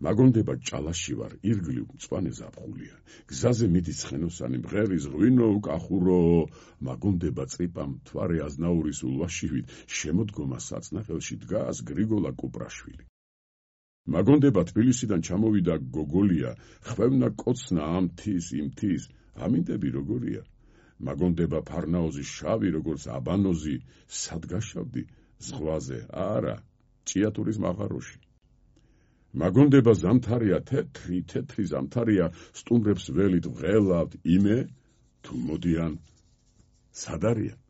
მაგონდება ჭალაში ვარ, ირგლივ მწვანე ზაფხულია. გზაზე მიდის ცხენოსანი, მღერის ღვინო უკახურო, მაგონდება წრიპა მთვარე აზნაურის ულვაშივით, შემოდგომა საწნახელში დგას გრიგოლა კუპრაშვილი. მაგონდება თბილისიდან ჩამოვიდა გოგოლია, ხვევნა კოცნა ამ თის, იმ თის, ამინდები როგორია. მაგონდება ფარნაოზი შავი, როგორც აბანოზი, სად გაშავდი, ზღვაზე, არა, ჭიათურის მაღაროში. მაგონდება ზამთარია, თეთრი ზამთარია, სტუმრებს ველით ვღელავთ, იმე, თუ მოდიან, სად არიან?